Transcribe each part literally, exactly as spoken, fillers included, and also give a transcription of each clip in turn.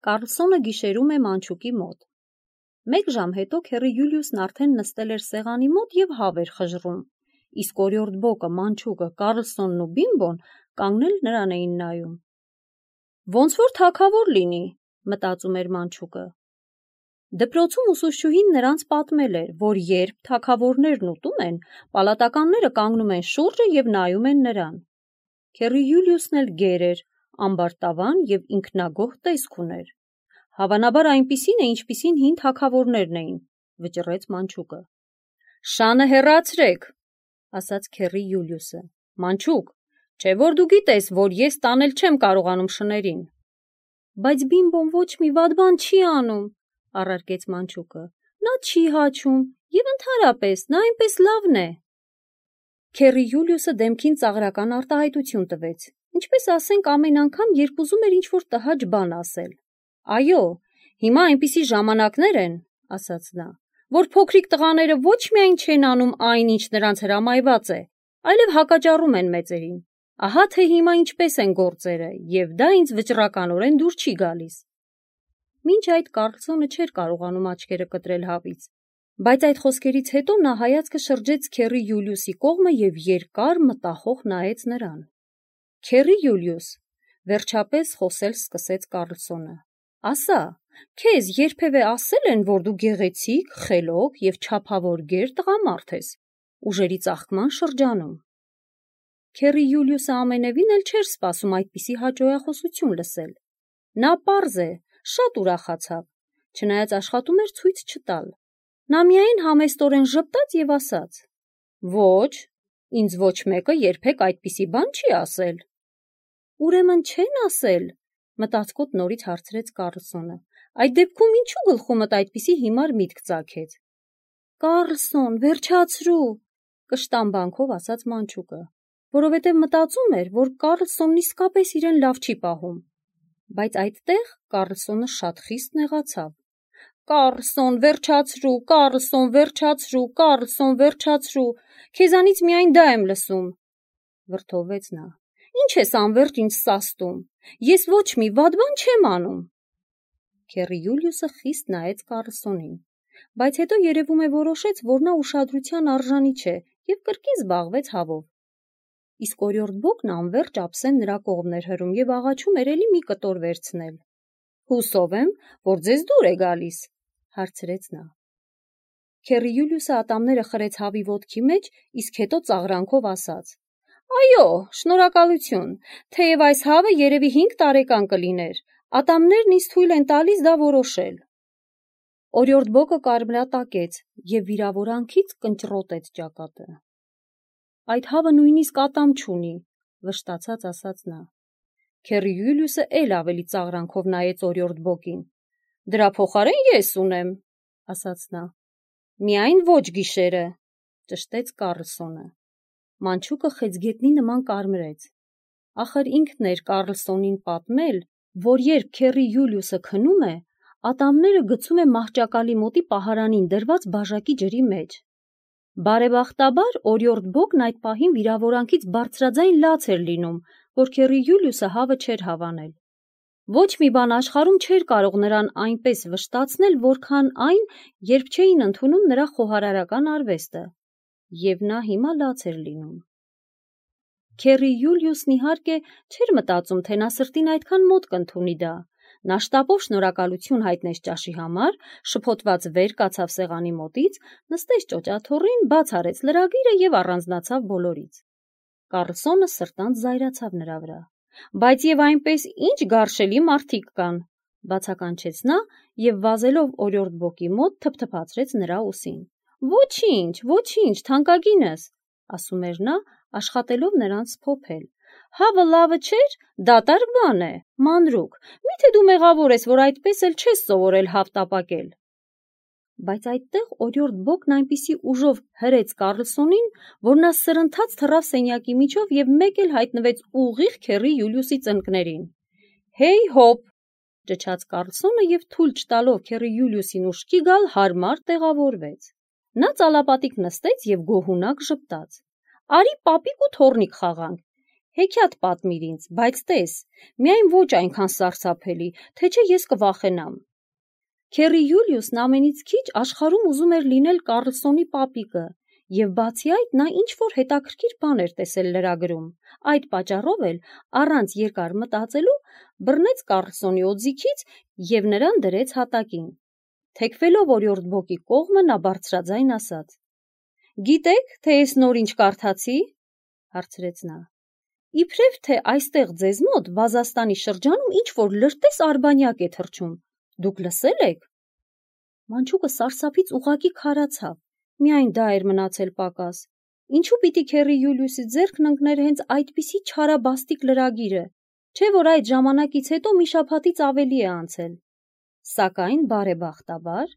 Կարլսոնը գիշերում է մանչուկի մոտ։ Մեկ ժամ հետո քեռի Յուլիուսն արդեն նստել էր սեղանի մոտ և հավ էր խժռում, իսկ օրիորդ Բոկը, մանչուկը, Կարլսոնն ու Բիմբոն կանգնել նրան էին նայում։ Ոնց որ թագավոր լինի, մտածում էր մանչուկը։ Դպրոցում ուսուցչուհին նրանց պատմել էր, որ երբ թագավորներն ուտում են, պալատականները կանգնում են շուրջը և նայում են նրան։ Քեռի Յուլիուսն էլ գեր էր, ամբարտավան և ինքնագոհ տեսք ուներ։ Հավանաբար այնպիսին է, ինչպիսին հին թագավորներն էին, վճռեց մանչուկը։ Շանը հեռացրեք, ասաց քեռի Յուլիուսը։ Մանչուկ, չէ որ դու գիտես, որ ես տանել չեմ կարողանում շներին։ Բայց Բիմբոն ոչ մի վատ բան չի անում, առարկեց մանչուկը։ Նա չի հաչում և ընդհանրապես նա այնպես լավն է։ Քեռի Յուլիուսը դեմքին ծաղրական արտահայտություն տվեց, ինչպես ասենք ամեն անգամ, երբ ուզում էր ինչ-որ տհաճ բան ասել։ Այո, հիմա այնպիսի ժամանակներ են, ասաց նա, որ փոքրիկ տղաները ոչ միայն չեն անում այն, ինչ նրանց հրամայված է, այլև հակաճառում են մեծերին։ Ահա թե հիմա ինչպես են գործերը, և դա ինձ վճռականորեն դուր չի գալիս։ Մինչ այդ Կարլսոնը չէր կարողանում աչքերը կտրել հավից, բայց այդ խոսքերից հետո նա հայացքը շրջեց քեռի Յուլիուսի կողմը և երկար մտախոհ նայեց նրան։ Քեռի Յուլիուս, վերջապես խոսել սկսեց Կարլսոնը, ասա, քեզ երբևէ ասել են, որ դու գեղեցիկ, խելոք և չափավոր գեր տղամարդ ես, ուժերի ծաղկման շրջանում։ Քեռի Յուլիուսը ամենևին էլ չէր սպասում այդպիսի հաճոյախոսություն լսել։ Նա պարզ է, շատ ուրախացավ, չնայած աշխատում էր ցույց չտալ։ Նա միայն համեստորեն ժպտաց և ասաց. Ոչ, ինձ ոչ մեկը երբեք այդպիսի բան չի ասել։ Ուրեմն չեն ասել, մտածկոտ նորից հարցրեց Կարլսոնը։ Այդ դեպքում ինչու գլխումդ այդպիսի հիմար միտք ծագեց։ Կարլսոն, վերջացրու, կշտամբանքով ասաց մանչուկը, որովհետև մտածում էր, որ Կարլսոնն իսկապես իրեն լավ չի պահում։ Բայց այդտեղ Կարլսոնը շատ խիստ նեղացավ։ Կարլսոն, վերջացրու, Կարլսոն, վերջացրու, Կարլսոն, վերջացրու, քեզանից միայն դա եմ լսում, վրդովվեց նա։ Ինչ ես անվերջ ինձ սաստում, ես ոչ մի վատ բան չեմ անում։ Քեռի Յուլիուսը խիստ նայեց Կարլսոնին, բայց հետո երևում է որոշեց, որ նա ուշադրության արժանի չէ և կրկին զբաղվեց հավով։ Իսկ օրիորդ Բոկն անվերջ ափսեն նրա կողմն էր հրում և աղաչում էր էլի մի կտոր վերցնել։ Հուսով եմ, որ ձեզ դուր է գալիս, հարցրեց նա։ Քեռի Յուլիուսը ատամները խրեց հավի ոտքի մեջ, իսկ հետո ծաղրանքով ասաց. Այո, շնորհակալություն, թեև այս հավը երևի հինգ տարեկան կլիներ, ատամներն ինձ թույլ են տալիս դա որոշել։ Օրիորդ Բոկը կարմրատակեց և վիրավորանքից կնճռոտեց ճակատը։ Այդ հավը նույնիսկ ատամ չունի, վշտացած ասաց նա։ Քեռի Յուլիուսը էլ ավելի ծաղրանքով նայեց օրիորդ Բոկին։ Դրա փոխարեն ես ունեմ, ասաց նա։ Միայն ոչ գիշերը, ճշտեց Կարլսոնը։ Մանչուկը խեցգետնի նման կարմրեց։ Ախր ինքն էր Կարլսոնին պատմել, որ երբ քեռի Յուլիուսը քնում է, ատամները գցում է մահճակալի մոտի պահարանին դրված բաժակի ջրի մեջ։ Բարեբախտաբար օրիորդ Բոկն այդ պահին վիրավորանքից բարձրաձայն լաց էր լինում, որ քեռի Յուլիուսը հավը չէր հավանել։ Ոչ մի բան աշխարհում չէր կարող նրան այնպես վշտացնել, որքան այն, երբ չէին ընդունում նրա խոհարարական արվեստը, և նա հիմա լաց էր լինում։ Քեռի Յուլիուսն իհարկե չէր մտածում, թե նա սրտին այդքան մոտ կընդունի դա։ Նա շտապով շնորհակալություն հայտնեց ճաշի համար, շփոթված վեր կացավ սեղանի մոտից, նստեց ճոճաթոռին, բաց արեց լրագիրը և առանձնացավ բոլորից։ Կարլսոնը սրտանց զայրացավ նրա վրա։ Բայց և այնպես ինչ գարշելի մարդիկ կան, բացականչեց նա և վազելով օրիորդ Բոկի մոտ թփթփացրեց նրա ուսին։ Ոչինչ, ոչինչ, թանկագինս, ասում էր նա, աշխատելով նրան սփոփել։ Հավը լավը չէր, դատարկ բան է, մանրուք, միթե դու մեղավոր ես, որ այդպես էլ չես սովորել հավ տապակել։ Բայց այդտեղ օրիորդ Բոկն այնպիսի ուժով հրեց Կարլսոնին, որ նա սրընթաց թռավ սենյակի միջով և մեկ էլ հայտնվեց ուղիղ քեռի Յուլիուսի ծնկներին։ Հեյ հոպ, ճչաց Կարլսոնը և թույլ չտալով քեռի Յուլիուսին ուշքի գալ հարմար տեղավորվեց։ Նա ծալապատիկ նստեց և գոհունակ ժպտաց։ Արի պապիկ ու թոռնիկ խաղանք։ Հեքիաթ պատմիր ինձ, բայց տես, միայն ոչ այնքան սարսափելի, թե չէ ես կվախենամ։ Քերի Յուլիուսն ամենից քիչ աշխարհում ուզում էր լինել Կարլսոնի պապիկը, եւ բացի այդ նա ինչ-որ հետաքրքիր բան էր տեսել լրագրում։ Այդ պատճառով էլ, առանց երկար մտածելու, բռնեց Կարլսոնի օձիքից եւ նրան դրեց հատակին։ Թեքվելով օրիորդ Բոկի կողմը նա բարձրաձայն ասաց. «Գիտեք, թե ես նոր ինչ կարդացի», հարցրեց նա։ «Իբրև թե այստեղ ձեզ մոտ Վազաստանի շրջանում ինչ-որ լրտես արբանյակ է թռչում, դուք լսել եք»։ Մանչուկը սարսափից ուղղակի քարացավ, միայն դա էր մնացել պակաս։ Ինչու պիտի Քերի Յուլիուսի ձեռքն ընկներ հենց այդպիսի չարաբաստիկ լրագիրը, չէ՞ որ այդ ժամանակից հետո մի շաբաթից ավելի է անցել։ Սակայն բարեբախտաբար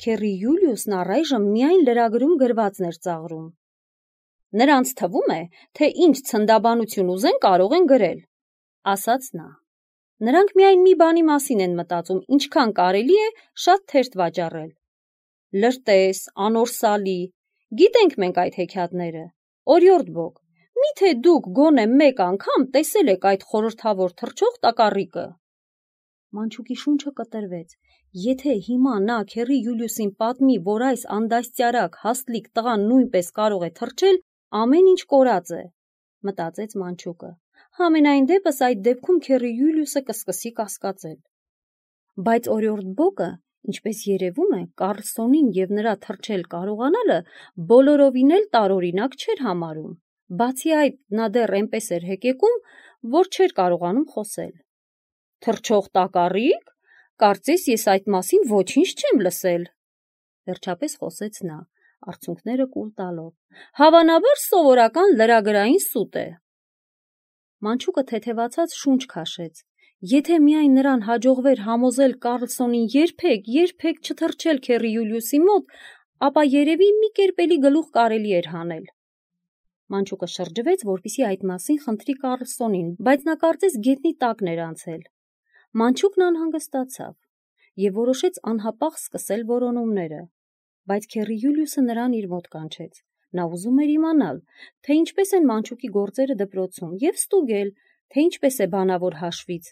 Քերի Յուլիուսն առայժմ միայն լրագրում գրվածն էր ծաղրում։ «Նրանց թվում է, թե ինչ ցնդաբանություն ուզեն կարող են գրել», ասաց նա։ «Նրանք միայն մի բանի մասին են մտածում, ինչքան կարելի է շատ թերթ վաճառել։ Լրտես, անորսալի, գիտենք մենք այդ հեքիաթները։ Օրիորդ Բոկ, միթե դուք գոնե մեկ անգամ տեսել եք այդ խորհրդավոր թռչող տակառիկը»։ Մանչուկի շունչը կտրվեց։ Եթե հիմա նա Քերի Յուլիուսին պատմի, որ այս անդաստիարակ հաստլիկ տղան նույնպես կարող է թռչել, ամեն ինչ կորած է, մտածեց Մանչուկը։ Համենայն դեպս այդ դեպքում Քերի Յուլիուսը կսկսի կասկածել։ Բայց օրիորդ Բոկը, ինչպես երևում է, Կարլսոնին եւ նրա թռչել կարողանալը բոլորովին էլ տարօրինակ չէր համարում։ Բացի այդ, նա դեռ այնպես էր հեկեկում, որ չէր կարողանում խոսել։ «Թռչող տակառիկ, կարծես ես այդ մասին ոչինչ չեմ լսել», վերջապես խոսեց նա, արցունքները կուլ տալով։ «Հավանաբար սովորական լրագրային սուտ է»։ Մանչուկը թեթևացած շունչ քաշեց։ Եթե միայն նրան հաջողվեր համոզել Կարլսոնին երբեք, երբեք չթռչել Քերի Յուլիուսի մոտ, ապա երևի մի կերպ էլի գլուխ կարելի էր հանել։ Մանչուկը շրջվեց, որպեսզի այդ մասին խնդրի Կարլսոնին, բայց նա կարծես գետնի տակն էր անցել։ Մանչուկն անհանգստացավ եւ որոշեց անհապաղ սկսել որոնումները, բայց Քերի Յուլիուսը նրան իր մոտ կանչեց։ Նա ուզում էր իմանալ, թե ինչպես են Մանչուկի գործերը դպրոցում եւ ստուգել, թե ինչպես է բանավոր հաշվից,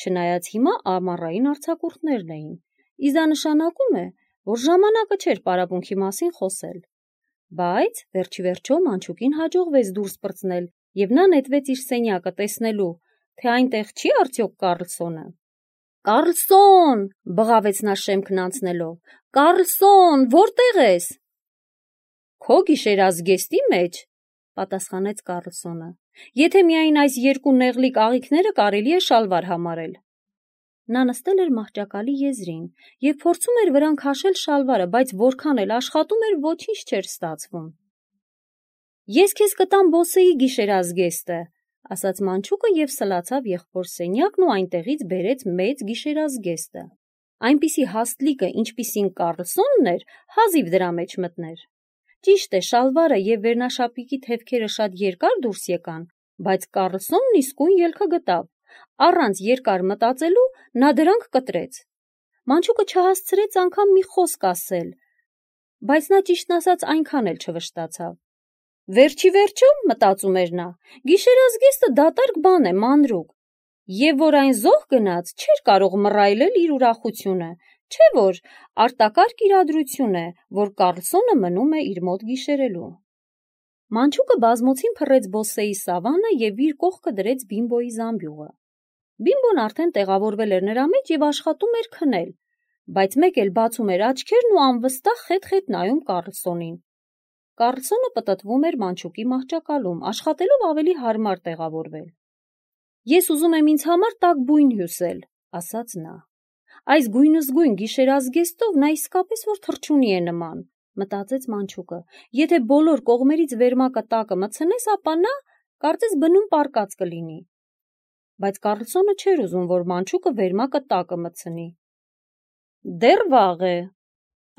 չնայած հիմա ամառային արձակուրդներն էին։ Իսկ դա նշանակում է, որ ժամանակը չէր պարապմունքի մասին խոսել։ Բայց վերջի վերջո Մանչուկին հաջողվեց դուրս պրծնել եւ նա նետվեց իր սենյակը տեսնելու, թե այնտեղ չի արդյոք Կարլսոնը։ «Կարլսոն», բղավեց նա շեմքն անցնելով, «Կարլսոն, որտե՞ղ ես»։ «Քո գիշերազգեստի մեջ», պատասխանեց Կարլսոնը, «եթե միայն այս երկու նեղլիկ աղիքները կարելի է շալվար համարել»։ Նա նստել էր մահճակալի եզրին եւ փորձում էր վրան քաշել շալվարը, բայց որքան էլ աշխատում էր, ոչինչ չէր ստացվում։ «Ես քեզ կտամ Բոսեի գիշերազգեստը», ասաց Մանչուկը եւ սլացավ եղբոր սենյակն ու այնտեղից բերեց մեծ գիշերազգեստը։ Այնպիսի հաստլիկը, ինչպիսին Կարլսոնն էր, հազիվ դրա մեջ մտներ։ Ճիշտ է, շալվարը եւ վերնաշապիկի թևքերը շատ երկար դուրս եկան, բայց Կարլսոնն իսկույն ելքը գտավ։ Առանց երկար մտածելու նա դրանք կտրեց։ Մանչուկը չհասցրեց անգամ մի խոսք ասել, բայց նա ճիշտն ասած այնքան էլ չվշտացավ։ Վերջի վերջո, մտածում էր նա, գիշերազգեստը դատարկ բան է, մանրուք, եւ որ այն զոհ գնաց, չէր կարող մռայլել իր ուրախությունը, չէ՞ որ արտակարգ իրադրություն է, որ Կարլսոնը մնում է իր մոտ գիշերելու։ Մանչուկը բազմոցին փռեց Բոսեի սավանը եւ իր կողքը դրեց Բիմբոյի զամբյուղը։ Բիմբոն արդեն տեղավորվել էր նրա մեջ եւ աշխատում էր քնել, բայց մեկ էլ բացում էր աչքերն ու անվստահ խետ-խետ նայում Կարլսոնին։ Կարլսոնը պտտվում էր Մանչուկի մահճակալում, աշխատելով ավելի հարմար տեղավորվել։ «Ես ուզում եմ ինձ համար տաք բույն հյուսել», ասաց նա։ «Այս գույնզգույն գիշերազգեստով նա իսկապես որ թռչունի է նման», մտածեց Մանչուկը։ Եթե բոլոր կողմերից վերմակը տակը մտցնես, ապա նա կարծես բնում պառկած կլինի։ Բայց Կարլսոնը չէր ուզում, որ Մանչուկը վերմակը տակը մտցնի։ «Դեռ վաղ է»,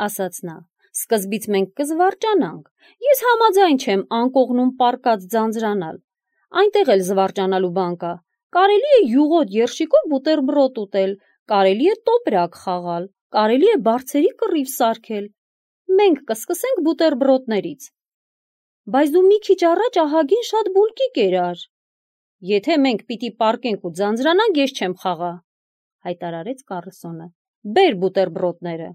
ասաց նա։ «Սկզբից մենք կզվարճանանք։ Ես համաձայն չեմ անկողնում պառկած ձանձրանալ։ Այնտեղ էլ զվարճանալու բան կա։ Կարելի է յուղոտ երշիկով բուտերբրոդ ուտել, կարելի է տոպրակ խաղալ, կարելի է բարձերի կռիվ սարքել։ Մենք կսկսենք բուտերբրոդներից։ Բայց դու մի քիչ առաջ ահագին շատ բուլկի կերար»։ Եթե մենք պիտի պառկենք ու ձանձրանանք, ես չեմ խաղա, հայտարարեց Կառլսոնը։ Բեր բուտերբրոդները։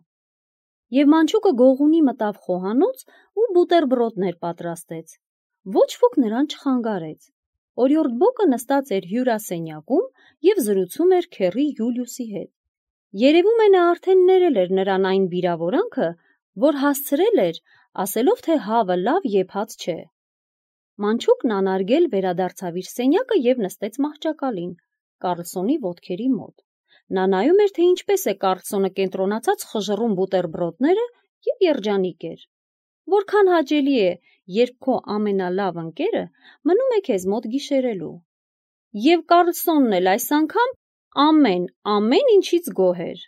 Եվ մանչուկը գողունի մտավ խոհանոց ու բուտերբրոդներ պատրաստեց։ Ոչ ոք նրան չխանգարեց։ Օրիորդ Բոկը նստած էր հյուրասենյակում և զրուցում էր քեռի Յուլիուսի հետ։ Երևում է նա արդեն ներել էր նրան այն վիրավորանքը, որ հասցրել էր, ասելով, թե հավը լավ եփած չէ։ Մանչուկն անարգել վերադարձավ իր սենյակը և նստեց մահճակալին, Կառլսոնի ոտքերի մոտ։ Նա նայում էր, թե ինչպես է Կառլսոնը կենտրոնացած խժռում բուտերբրոդները և երջանիկ էր։ Որքան հաճելի է, երբ քո ամենալավ ընկերը մնում է քեզ մոտ գիշերելու։ Եվ Կառլսոնն էլ այս անգամ ամեն, ամեն ինչից գոհ էր։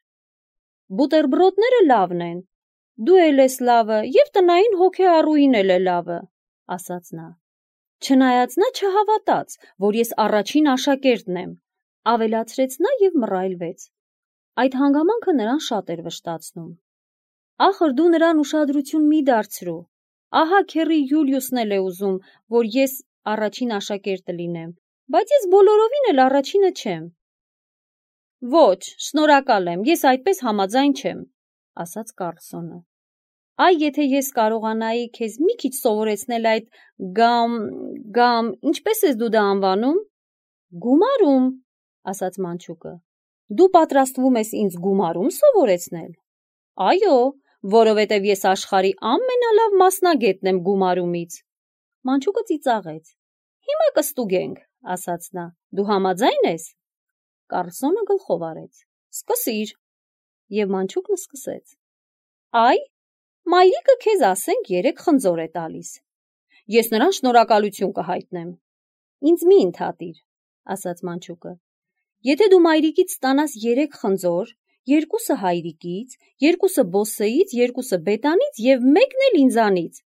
Բուտերբրոդները լավն են, դու էլ ես լավը, և տնային հոգեառուին էլ է լավը, ասաց նա։ Չնայած նա չհավատաց, որ ես առաջին աշակերտն եմ, ավելացրեց նա և մռայլվեց։ Այդ հանգամանքը նրան շատ էր վշտացնում։ Ախր դու նրան ուշադրություն մի դարձրու։ Ահա քեռի Յուլիուսն էլ է ուզում, որ ես առաջին աշակերտը լինեմ, բայց ես բոլորովին էլ առաջինը չեմ։ Ոչ, շնորհակալ եմ, ես այդպես համաձայն չեմ, ասաց Կառլսոնը։ Այ եթե ես կարողանայի քեզ մի քիչ սովորեցնել այդ գամ, գամ, ինչպես ես դու դա անվանում։ Գումարում, ասաց մանչուկը։ Դու պատրաստվում ես ինձ գումարում սովորեցնել։ Այո, որովհետև ես աշխարհի ամենալավ մասնագետն եմ գումարումից։ Մանչուկը ծիծաղեց։ Հիմա կստուգենք, ասաց նա։ Դու համաձայն ես։ Կառլսոնը գլխով արեց։ Սկսիր։ Եվ մանչուկն սկսեց։ Այ, մայրիկը քեզ ասենք երեք խնձոր է տալիս։ Ես նրան շնորհակալություն կհայտնեմ։ Ինձ մի ընդհատիր, ասաց մանչուկը։ Եթե դու մայրիկից ստանաս երեք խնձոր, երկուսը հայրիկից, երկուսը բոսեից, երկուսը բետանից և մեկն էլ ինձանից։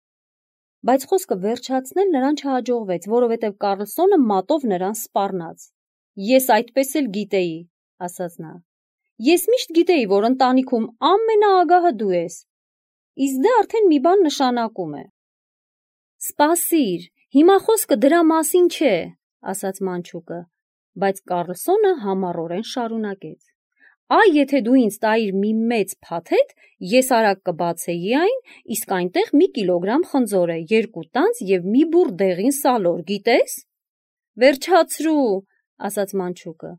Բայց խոսքը վերջացնել նրան չհաջողվեց, որովհետև Կառլսոնը մատով նրան սպառնաց։ Ես այդպես էլ գիտեի, ասաց նա։ Ես միշտ գիտեի, որ ընտանիքում ամենաագահը դու ես։ Իսկ դա արդեն մի բան նշանակում է։ Սպասիր, հիմա խոսքը դրա մասին չէ, ասաց մանչուկը, բայց Կառլսոնը համառորեն շարունակեց. Այ եթե դու ինձ տայիր մի մեծ փաթեթ, ես արագ կբացեի այն, իսկ այնտեղ մի կիլոգրամ խնձոր է, երկու տանձ և մի բուռ դեղին սալոր, գիտես։ Վերջացրու, ասաց մանչուկը։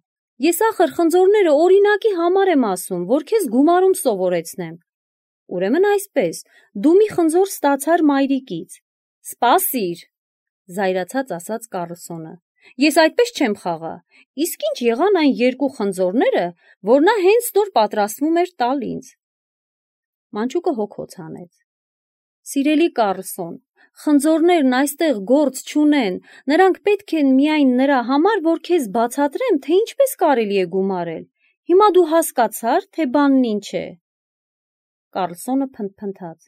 Ես ախր խնձորները օրինակի համար եմ ասում, որ քեզ գումարում սովորեցնեմ։ Ուրեմն այսպես, դու մի խնձոր ստացար մայրիկից։ Սպասիր, զայրացած ասաց Կառլսոնը։ Ես այդպես չեմ խաղա, իսկ ինչ եղան այն երկու խնձորները, որ նա հենց նոր պատրաստվում էր տալ ինձ։ Մանչուկը հոգոց հանեց։ Սիրելի Կառլսոն, խնձորներն այստեղ գործ չունեն, նրանք պետք են միայն նրա համար, որ քեզ բացատրեմ, թե ինչպես կարելի է գումարել։ Հիմա դու հասկացար, թե բանն ինչ է։ Կառլսոնը փնթփնթաց։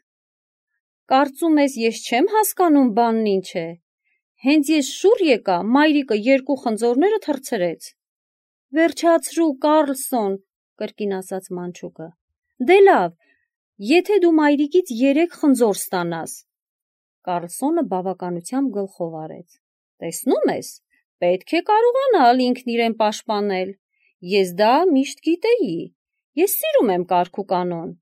Կարծում ես, ես չեմ հասկանում բանն ինչ է։ Հենց ես շուռ եկա, մայրիկը երկու խնձորները թռցրեց։ Վերջացրու, Կառլսոն, կրկին ասաց մանչուկը։ Դե լավ, եթե դու մայրիկից երեք խնձոր ստանաս։ Կառլսոնը բավականությամբ գլխով արեց։ Տեսնում ես, պետք է կարողանալ ինքն իրեն պաշտպանել։ Ես դա միշտ գիտեի։ Ես սիրում եմ կարգ ու կանոն։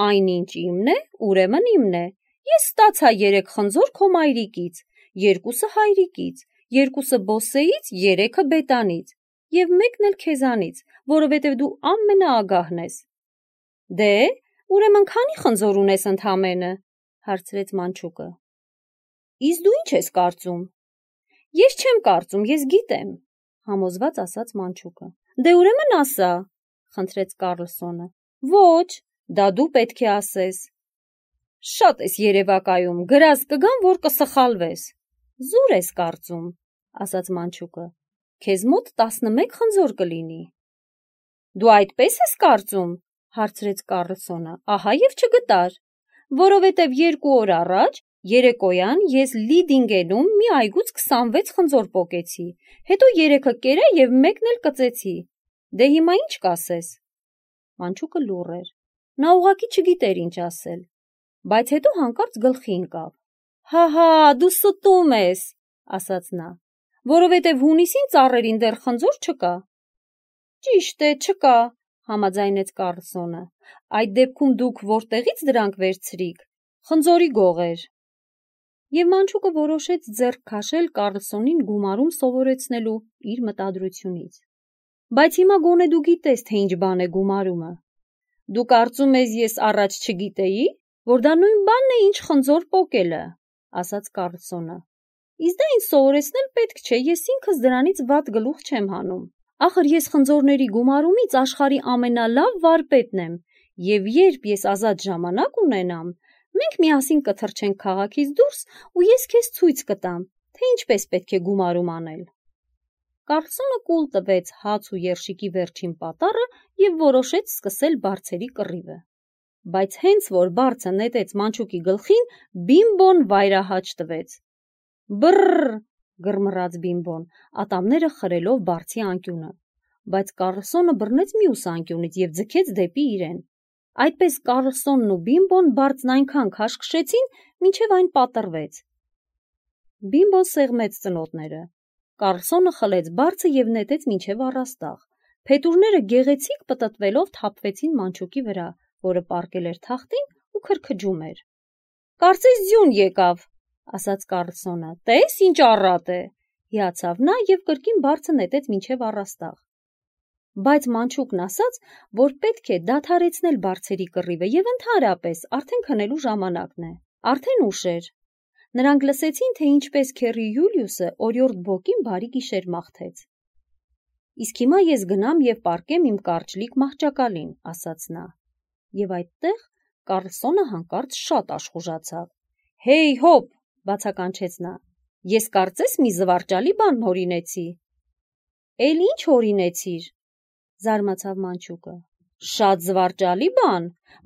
Այնինչ իմն է, ուրեմն իմն է։ Ես ստացա երեք խնձոր քո մայրիկից, երկուսը հայրիկից, երկուսը բոսեից, երեքը բետանից և մեկն էլ քեզանից, որովհետև դու ամենաագահն ես։ Դե, ուրեմն քանի խնձոր ունես ընդամենը, հարցրեց մանչուկը։ Իսկ դու ինչ ես կարծում։ Ես չեմ կարծում, ես գիտեմ, համոզված ասաց մանչուկը։ Դե ուրեմն ասա, խնդրեց Կառլսոնը։ Ոչ, դա դու պետք է ասես։ Շատ ես երևակայում, գրած կգամ, որ կսխալվես։ Զուր ես կարծում, ասաց մանչուկը։ Քեզ մոտ տասնմեկ խնձոր կլինի։ Դու այդպես ես կարծում, հարցրեց Կառլսոնը, ահա և չգտար, որովհետև երկու օր առաջ երեկոյան ես Լիդինգենում մի այգուց քսանվեց խնձոր պոկեցի, հետո երեքը կերա և մեկն էլ կծեցի։ Դե հիմա ինչ կասես։ Մանչուկը լուռ էր։ Նա ուղղակի չգիտեր ինչ ասել, բայց հետո հանկարծ գլխի ընկավ։ Հա, հա, դու ստում ես, ասաց նա։ որովհետև հունիսին ծառերին դեռ խնձոր չկա։ Ճիշտ է, չկա, համաձայնեց Կարլսոնը։ Այդ դեպքում դուք որտեղից դրանք վերցրիք։ Խնձորի գողեր։ Եվ մանչուկը որոշեց ձեռք քաշել Կարլսոնին գումարում սովորեցնելու իր մտադրությունից։ Բայց հիմա գոնե դու գիտես, թե ինչ բան է գումարումը։ Դու կարծում ես ես առաջ չգիտեի, որ դա նույն բանն է, ինչ խնձոր պոկելը, ասաց Կարլսոնը։ Իսկ դա ինձ սովորեցնել պետք չէ, ես ինքս դրանից վատ գլուխ չեմ հանում։ Ախր ես խնձորների գումարումից աշխարհի ամենալավ վարպետն եմ, եւ երբ ես ազատ ժամանակ ունենամ, մենք միասին կթռչենք քաղաքից դուրս ու ես քեզ ցույց կտամ, թե ինչպես պետք է գումարում անել։ Կարլսոնը կուլ տվեց հաց ու երշիկի վերջին պատառը եւ որոշեց սկսել բարձերի կռիվը։ Բայց հենց որ բարձը նետեց մանչուկի գլխին, Բիմբոն վայրահաճ տվեց։ Բռռ, գրմռաց Բիմբոն, ատամները խրելով բարձի անկյունը, բայց Կարլսոնը բռնեց մյուս անկյունից եւ ձգեց դեպի իրեն։ Այդպես Կարլսոնն ու Բիմբոն բարձն այնքան քաշքշեցին, մինչև այն պատռվեց։ Բիմբոն սեղմեց ծնոտները։ Կարլսոնը խլեց բարձը եւ նետեց մինչև առաստաղ։ Փետուրները գեղեցիկ պտտվելով թափվեցին մանչուկի վրա, որը պառկել էր թախտին ու քրքջում էր։ Կարծես ձյուն եկավ, ասաց Կարլսոնը։ Տես ինչ առատ է, հիացավ նա եւ կրկին բարձը նետեց մինչև առաստաղ։ Բայց մանչուկն ասաց, որ պետք է դադարեցնել բարձերի կռիվը եւ ընդհանրապես արդեն քնելու ժամանակն է։ Արդեն ուշ էր։ Նրանք լսեցին, թե ինչպես քեռի Յուլիուսը օրիորդ Բոկին բարի գիշեր մաղթեց։ Իսկ հիմա ես գնամ եւ պառկեմ իմ կարճլիկ մահճակալին, ասաց նա։ Եվ այդտեղ Կարլսոնը հանկարծ շատ աշխուժացավ։ Հեյ հոп, բացականչեց նա։ Ես կարծես մի զվարճալի բան հորինեցի։ Էլ ինչ հորինեցիր, զարմացավ մանչուկը։ Շատ զվարճալի բան,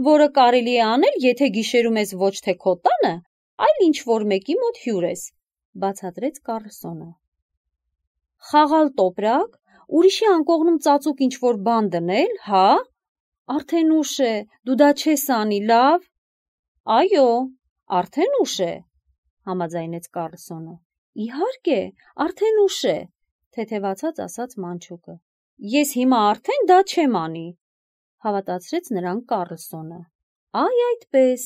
որը կարելի է անել, եթե գիշերում ես ոչ թե քո տանը, այլ ինչ որ մեկի մոտ հյուր ես, բացատրեց Կարլսոնը։ Խաղալ տոպրակ, ուրիշի անկողնում ծածուկ ինչ որ բան դնել, հա։ Արդեն ուշ է, դու դա չես անի, լավ։ Այո, արդեն ուշ է, համաձայնեց Կարլսոնը։ Իհարկե, արդեն ուշ է, թեթևացած ասաց մանչուկը։ Ես հիմա արդեն դա չեմ անի, հավատացրեց նրան Կարլսոնը։ Այ այդպես,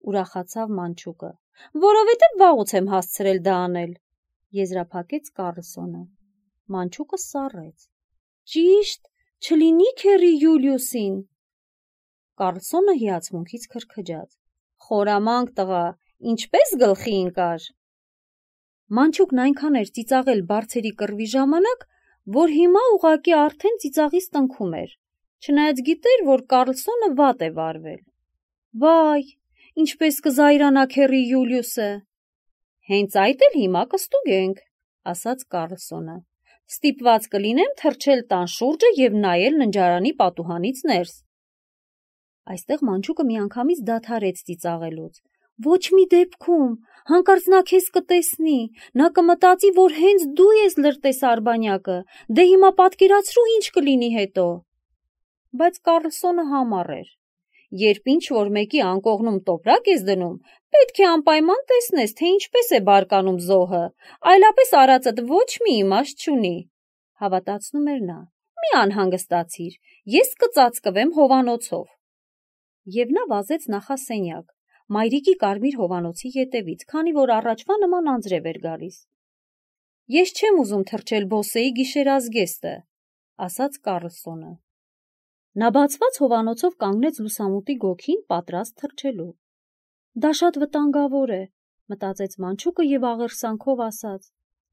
ուրախացավ մանչուկը, որովհետև վաղուց եմ հասցրել դա անել, եզրափակեց Կարլսոնը։ Մանչուկը սառեց։ Ճիշտ, չլինի քեռի Յուլիուսին։ Կարլսոնը հիացմունքից քրքջաց։ Խորամանկ տղա, ինչպես գլխի ընկար։ Մանչուկն այնքան էր ծիծաղել բարձերի կռվի ժամանակ, որ հիմա ուղղակի արդեն ծիծաղից տնքում էր, չնայած գիտեր, որ Կարլսոնը վատ է վարվել։ Վայ, ինչպես կզայրանա քեռի Յուլիուսը։ Հենց այդ էլ հիմա կստուգենք, ասաց Կարլսոնը։ Ստիպված կլինեմ թռչել տան շուրջը եւ նայել ննջարանի պատուհանից ներս։ Այստեղ մանչուկը միանգամից դադարեց ծիծաղելուց։ Ոչ մի դեպքում, հանկարծ նա քեզ կտեսնի, նա կմտածի, որ հենց դու ես լրտես արբանյակը, դե հիմա պատկերացրու ինչ կլինի հետո։ Բայց Կարլսոնը համառ էր։ Երբ ինչ որ մեկի անկողնում տոպրակ ես դնում, պետք է անպայման տեսնես, թե ինչպես է բարկանում զոհը, այլապես արածդ ոչ մի իմաստ չունի, հավատացնում էր նա։ Մի անհանգստացիր, ես կծածկվեմ հովանոցով։ Եվ նա վազեց նախասենյակ, մայրիկի կարմիր հովանոցի ետևից, քանի որ առաջվա նման անձրև էր գալիս։ Ես չեմ ուզում թռչել Բոսեի գիշերազգեստը, ասաց Կարլսոնը։ Նա բացված հովանոցով կանգնեց լուսամուտի գոգին, պատրաստ թռչելու։ Դա շատ վտանգավոր է, մտածեց մանչուկը եւ աղերսանքով ասաց.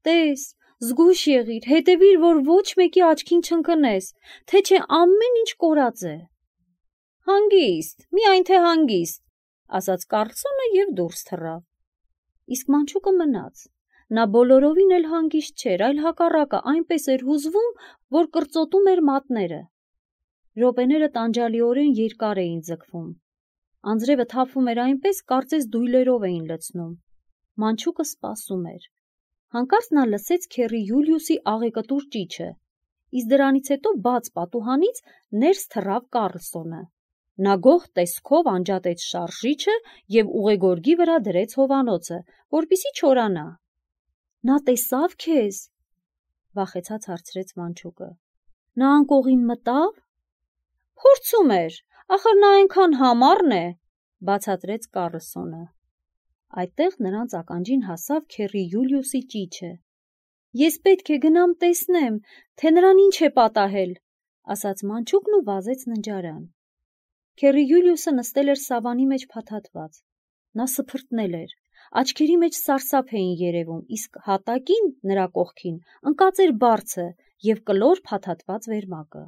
Տես, զգույշ եղիր, հետևիր, որ ոչ մեկի աչքին չընկնես, թե չէ ամեն ինչ կորած է։ Հանգիստ, միայն թե հանգիստ, ասաց Կարլսոնը եւ դուրս թռավ։ Իսկ մանչուկը մնաց։ Նա բոլորովին էլ հանգիստ չէր, այլ հակառակը այնպես էր հուզվում, որ կրծոտում էր մատները։ Րոպեները տանջալիորեն երկար էին ձգվում։ Անձրևը թափվում էր այնպես, կարծես դույլերով էին լցնում։ Մանչուկը սպասում էր։ Հանկարծ նա լսեց քեռի Յուլիուսի աղեկտուր ճիչը, իսկ դրանից հետո բաց պատուհանից ներս թռավ Կարլսոնը։ Նա գող տեսքով անջատեց շարժիչը եւ ուղեգորգի վրա դրեց հովանոցը, որպիսի չորանա։ Նա տեսավ քեզ, վախեցած հարցրեց մանչուկը։ Նա անկողին մտավ։ Փորձում էր, ախր նա այնքան համառն է, բացատրեց Կառլսոնը։ Այդտեղ նրանց ականջին հասավ քեռի Յուլիուսի ճիչը։ Ես պետք է գնամ տեսնեմ, թե նրան ինչ է պատահել, ասաց մանչուկն ու վազեց ննջարան։ Քեռի Յուլիուսը նստել էր սավանի մեջ փաթաթված։ Նա սփրտնել էր, աչքերի մեջ սարսափ էին երևում, իսկ հատակին նրա կողքին ընկած էր բարձը և կլոր փաթաթված վերմակը։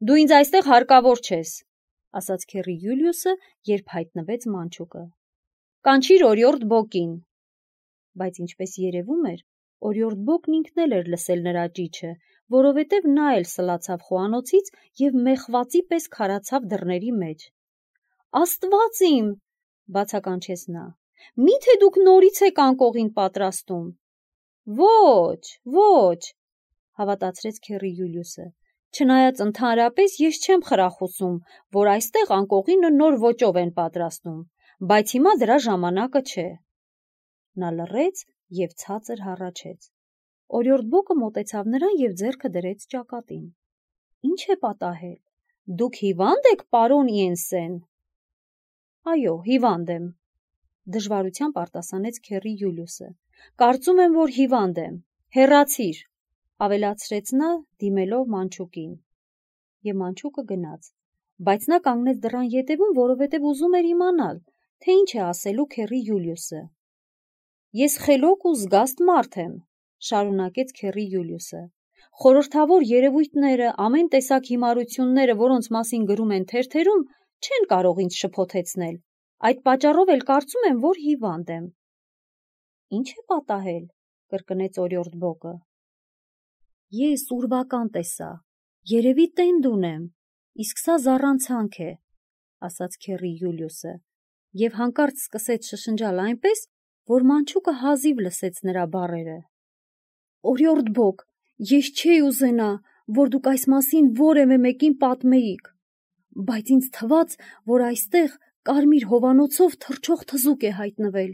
Դու ինձ այստեղ հարկավոր չես, ասաց քեռի Յուլիուսը, երբ հայտնվեց մանչուկը։ Կանչիր օրիորդ Բոկին։ Բայց ինչպես երևում էր, օրիորդ Բոկն ինքն էլ էր լսել նրա ճիչը, որովհետև նա էլ սլացավ խոհանոցից և մեխվածի պես քարացավ դռների մեջ։ Աստված իմ, բացականչեց նա, միթե դուք նորից եք անկողին պատրաստում։ Ոչ, ոչ, հավատացրեց քեռի Յուլիուսը, չնայած ընդհանրապես ես չեմ խրախուսում, որ այստեղ անկողինը նոր ոճով են պատրաստում, բայց հիմա դրա ժամանակը չէ։ Նա լռեց և ցածր հառաչեց։ Օրիորդ Բոկը մոտեցավ նրան և ձեռքը դրեց ճակատին։ Ինչ է պատահել։ Դուք հիվա՞նդ եք, պարոն Իենսեն։ Այո, հիվանդ եմ, դժվարությամբ արտասանեց քեռի Յուլիուսը։ Կարծում եմ, որ հիվանդ եմ։ Հեռացիր, ավելացրեց նա, դիմելով մանչուկին։ Եվ մանչուկը գնաց, բայց նա կանգնեց դռան ետևում, որովհետև ուզում էր իմանալ, թե ինչ է ասելու քեռի Յուլիուսը։ Ես խելոք ու զգաստ մարդ եմ, շարունակեց քեռի Յուլիուսը։ Խորհրդավոր երևույթները, ամեն տեսակ հիմարությունները, որոնց մասին գրում են թերթերում, չեն կարող ինձ շփոթեցնել։ Այդ պատճառով էլ կարծում եմ, որ հիվանդ եմ։ Ինչ է պատահել, կրկնեց օրիորդ Բոկը։ Ես ուրվական տեսա, երևի տենդ ունեմ, իսկ սա զառանցանք է, ասաց քեռի Յուլիուսը, և հանկարծ սկսեց շշնջալ այնպես, որ մանչուկը հազիվ լսեց նրա բառերը։ Օրիորդ Բոկ, ես չէի ուզենա, որ դուք այս մասին որևէ մեկին պատմեիք, բայց ինձ թվաց, որ այստեղ կարմիր հովանոցով թռչող թզուկ է հայտնվել։